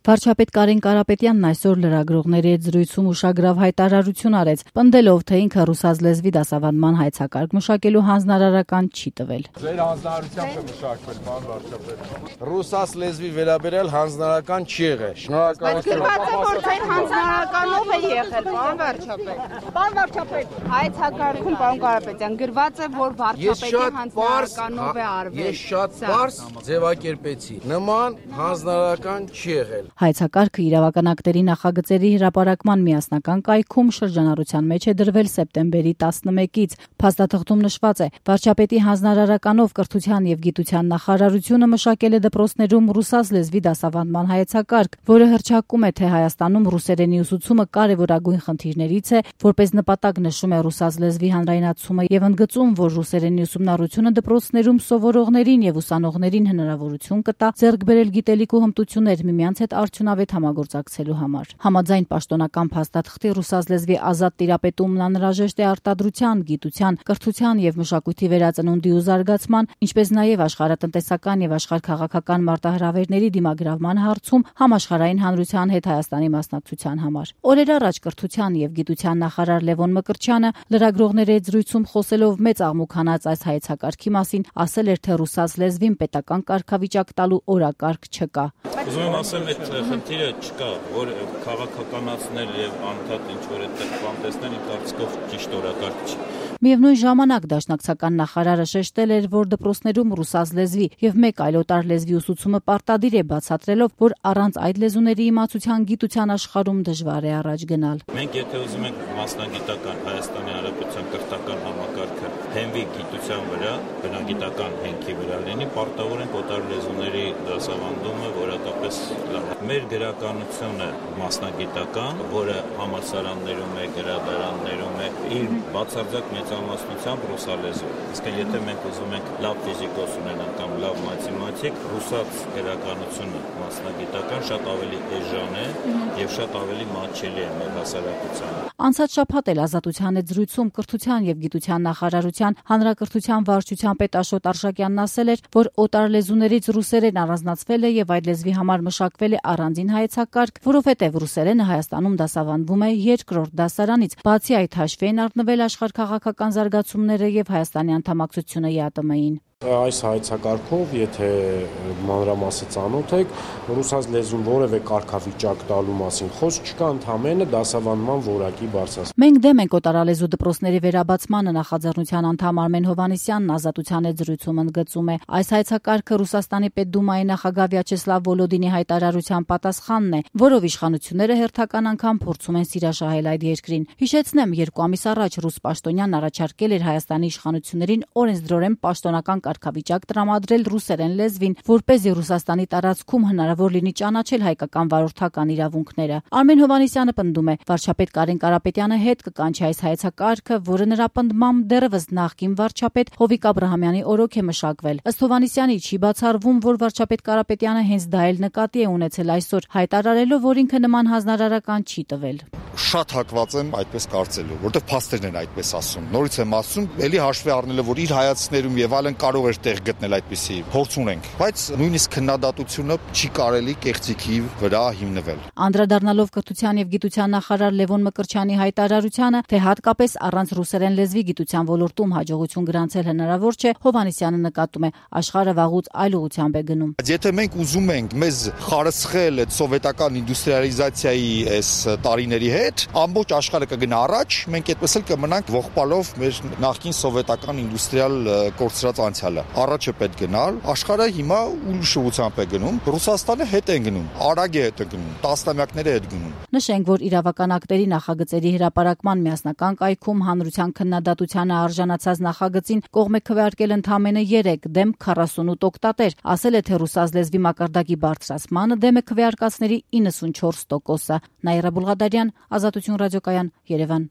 Վարչապետ Կարեն Կարապետյանն այսօր լրագրողների հետ զրույցում ուշագրավ հայտարարություն արեց, պնդելով, թե ինքը ռուսաց լեզվի դասավանդման հայեցակարգ մշակելու հանձնարարական չի տվել։ Ձեր հանձնարարությամբ է մշակվել, պարոն վարչապետ։ Ռուսաց լեզվի վերաբերյալ հանձնարարական չի եղել։ Շնորհակալություն։ Հանձնարարականով է եղել, պարոն վարչապետ։ Պարոն վարչապետ, հայեցակարգում պարոն Կարապետյան գրված է, որ վարչապետի հանձնարարականով է արվել։ Ես շատ պարզ ձևակերպեցի։ Նման հանձնարարական չի եղել։ Հայեցակարգը իրավական ակտերի նախագծերի հրապարակման միասնական կայքում շրջանառության մեջ է դրվել սեպտեմբերի 11-ից։ Փաստաթղթում նշված է. վարչապետի հանձնարարականով կրթության եւ գիտության նախարարությունը մշակել է դպրոցներում ռուսաց լեզվի դասավանդման հայեցակարգ, որը հռչակում է, թե Հայաստանում ռուսերենի ուսուցումը կարևորագույն խնդիրներից է, որպես նպատակ նշում է ռուսաց լեզվի հանրայնացումը եւ ընդգծում, որ ռուսերենի ուսումնառությունը դպրոցներում սովորողներին եւ ուսանողներին հնարավորություն կտա ձեռք բերել գիտելիք ու հմտություններ միմյանց հետ արդյունավետ համագործակցելու համար։ Համաձայն պաշտոնական փաստաթղթի ռուսաց լեզվի ազատ տիրապետումն անհրաժեշտ է արտադրության, գիտության, կրթության եւ մշակույթի վերածնունդի ու զարգացման, ինչպես նաեւ աշխարհատնտեսական եւ աշխարհքաղաքական մարտահրավերների դիմագրավման հարցում համաշխարհային հանրության հետ Հայաստանի մասնակցության համար։ Օրեր առաջ կրթության եւ գիտության նախարար Լևոն Մկրտչյանը լրագրողների հետ զրույցում խոսելով մեծ աղմուկ հանած այս հայեցակարգի մասին ասել էր, թե ռուսաց լեզվին պետական կարգավիճակ տալու օրակարգ չկա։ Ուզում եմ ասեմ, այդ խնդիրը չկա, որ քաղաքականացնել եւ անդադ ինչ-որ այդտեղ բան տեսնել, իմ կարծիքով ճիշտ օրակարգ չի։ Միևնույն ժամանակ դաշնակցական նախարարը շեշտել էր, որ դպրոցներում ռուսաց լեզվի եւ մեկ այլ օտար լեզվի ուսուցումը պարտադիր է, բացատրելով, որ առանց այդ լեզուների իմացության գիտության աշխարհում դժվար է առաջ գնալ։ Մենք եթե ուզում ենք մասնագիտական Հայաստանի Հանրապետության կրթական համակարգը հենվի գիտության վրա, բնագիտական հենքի վրա լինի, պարտավոր ենք օտար լեզուների դասավանդումը որակապես լավ։ Մեր գրականությունը մասնագիտական, որը համալսարաններում է, գրադարաններում է, իր բացարձակ մեծամասնությամբ ռուսալեզու։ Իսկ եթե մենք ուզում ենք լավ ֆիզիկոս ունենալ կամ լավ մաթեմատիկ, ռուսաց գրականությունը մասնագիտական շատ ավելի էժան է եւ շատ ավելի մատչելի է մեր հասարակությանը։ Անցած շաբաթ էլ Ազատության հետ զրույցում կրթության եւ գիտության նախարարության հանրակրթության վարչության պետ Աշոտ Արշակյանն ասել էր, որ օտար լեզուներից ռուսերեն առանձնացվել է եւ այդ լեզվի համար մշակվել է առանձին հայեցակարգ, որովհետեւ ռուսերենը Հայաստանում դասավանդվում է երկրորդ դասարանից։ Բացի այդ հաշվի են առնվել աշխարհքաղաքական զարգացումները եւ Հայաստանի անդամակցությունը ԵԱՏՄ-ին։ Այս հայեցակարգով, եթե մանրամասը ծանոթ եք, ռուսաց լեզուն որևէ կարգավիճակ տալու մասին խոսք չկա, ընդհանրապես դասավանդման որակի բարձրացում։ Մենք դեմ ենք օտարալեզու դպրոցների վերաբացմանը, նախաձեռնության անդամ Արմեն Հովհաննիսյանն Ազատության հետ զրույցում ընդգծում է։ Այս հայեցակարգը Ռուսաստանի Պետդումայի նախագահ Վյաչեսլավ Վոլոդինի հայտարարության պատասխանն է, որով իշխանությունները հերթական անգամ փորձում են սիրաշահել այդ երկրին։ Հիշեցնեմ, 2 ամիս առաջ ռուս պաշտոնյանն առաջարկել էր Հայաստանի իշխանություններին օրենսդրորեն պաշտոնական կարգավիճակ տրամադրել ռուսերեն լեզվին, որպեսզի Ռուսաստանի տարածքում հնարավոր լինի ճանաչել հայկական վարորդական իրավունքները։ Արմեն Հովհաննիսյանը պնդում է, վարչապետ Կարեն Կարապետյանը հետ կկանչի այս հայեցակարգը, որը նրա պնդմամբ դեռևս նախկին վարչապետ Հովիկ Աբրահամյանի օրոք է մշակվել։ Ըստ Հովհաննիսյանի չի բացառվում, որ վարչապետ Կարապետյանը հենց դա էլ նկատի է ունեցել այսօր, հայտարարելով, որ ինքը նման հանձնարարական չի տվել։ Շատ հակված եմ այդպես կարծելու, որտեղ փաստերն են այդպես ասում։ Նորից եմ ասում, ելի հաշվի առնելով, որ իր հայացքներում եւ այլն կարող էր տեղ գտնել այդպիսի փորձ ունենք, բայց նույնիսկ քննադատությունը չի կարելի կեղծիքի վրա հիմնվել։ Անդրադառնալով կրթության եւ գիտության նախարար Լևոն Մկրտչյանի հայտարարությանը, թե հատկապես առանց ռուսերեն լեզվի գիտության ոլորտում հաջողություն գրանցել հնարավոր չէ, Հովհաննիսյանը նկատում է, աշխարհը վաղուց այլ ուղղությամբ է գնում։ Եթե մենք ուզում ենք մեզ խարսխել այդ սովետական ինդուստրիալիզացիայի այս տարիների հետ, ամբողջ աշխարհը կգնա առաջ, մենք այդպես էլ կմնանք ողբալով մեր նախկին սովետական ինդուստրիալ կորցրած անցյալը։ Առաջ է պետք գնալ, աշխարհը հիմա ուրիշ ուղղությամբ է գնում, Ռուսաստանը հետ է գնում, արագ է հետ գնում, տասնամյակներ է հետ գնում։ Նշենք, որ իրավական ակտերի նախագծերի հրապարակման միասնական կայքում հանրության քննադատությանը արժանացած նախագծին կողմ է քվեարկել ընդամենը 3 դեմ 48 օգտատեր, ասել է, թե ռուսաց լեզվի մակարդակի բարձրացմանը դեմ է քվեարկածների 94%-ը։ Նաիրա Բուլղադարյան, Ազատություն ռադիոկայան, Երևան։